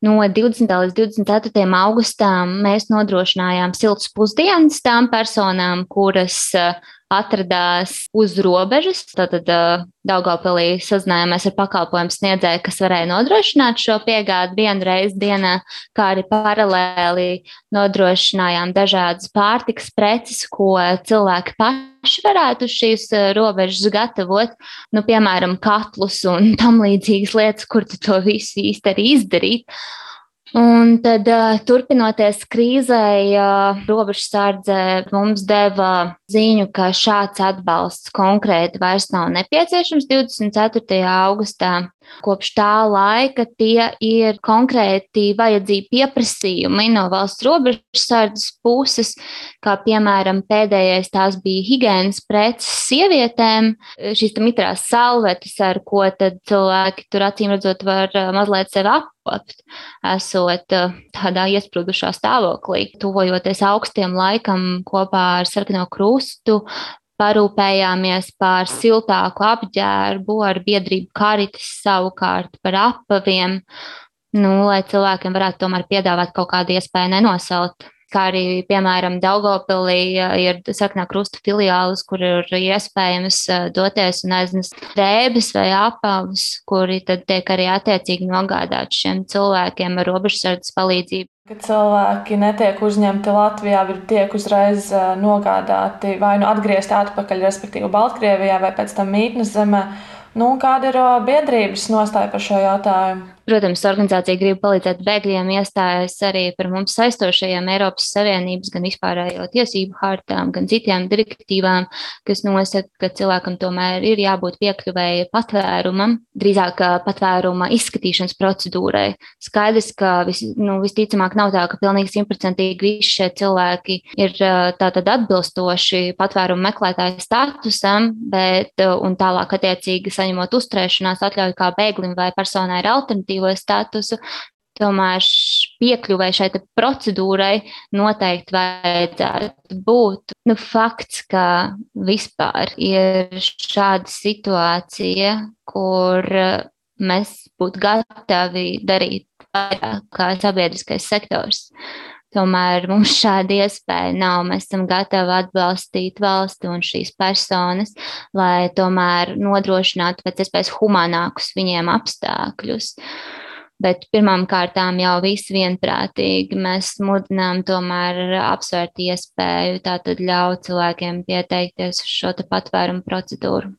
No 20. līdz 24. augustam mēs nodrošinājām siltas pusdienas tām personām, kuras atradās uz robežas. Tātad Daugavpilī sazinājāmies ar pakalpojumu sniedzēju, kas varēja nodrošināt šo piegādi vienu reizi dienā, kā arī paralēli nodrošinājām dažādas pārtikas preces, ko cilvēki paši varētu uz šīs robežas gatavot. Nu, piemēram, katlus un tam līdzīgas lietas, kur tu to visu īsti arī izdarīt. Un tad, turpinoties krīzei, robežsardze mums deva ziņu, ka šāds atbalsts konkrēti vairs nav nepieciešams 24. augustā. Kopš tā laika tie ir konkrēti vajadzīgi pieprasījumi no valsts robežsardzes puses, kā piemēram pēdējais tās bija higienas preces sievietēm, šīs mitrās salvetes, ar ko tad cilvēki tur acīm redzot var mazliet sevi apkopt, esot tādā iesprūdušā stāvoklī. Tuvojoties augstiem laikam kopā ar Sarkano Krustu, parūpējāmies par siltāku apģērbu, ar biedrību Karitas savukārt par apaviem, lai cilvēkiem varētu tomēr piedāvāt kaut kādu iespēju nenosalt. Kā arī, piemēram, Daugavpilī ir Sarkanā Krusta filiālis, kur ir iespējams doties un aiznest drēbes vai apavus, kuri tad tiek arī attiecīgi nogādāti šiem cilvēkiem ar robežsardzes palīdzību. Kad cilvēki netiek uzņemti Latvijā, tiek uzreiz nogādāti vai nu atgriezti atpakaļ, respektīvi Baltkrievijā vai pēc tam mītnes zemē. Kāda ir biedrības nostāja par šo jautājumu? Protams, organizācija Grib palīdzēt bēgļiem iestājas arī par mums saistošajiem Eiropas Savienības, gan vispārējo tiesību hartām, gan citām direktīvām, kas nosaka, ka cilvēkam tomēr ir jābūt piekļuvēji patvērumam, drīzāk patvēruma izskatīšanas procedūrai. Skaidrs, ka visticamāk nav tā, ka pilnīgi 100% visi šie cilvēki ir tātad atbilstoši patvērumu meklētāju statusam, bet un tālāk attiecīgi saņemot uzturēšanās atļauju kā bēglim vai personai ar alternatīvu statusu, tomēr piekļuvai šai procedūrai noteikti vajadzētu būt. Fakts, ka vispār ir šāda situācija, kur mēs būtu gatavi darīt vairāk kā sabiedriskais sektors. Tomēr mums šāda iespēja nav. Mēs esam gatavi atbalstīt valsti un šīs personas, lai tomēr nodrošinātu pēc iespējas humanākus viņiem apstākļus. Bet pirmām kārtām jau visi vienprātīgi mēs mudinām tomēr apsvērt iespēju tātad ļaut cilvēkiem pieteikties uz šo patvērumu procedūru.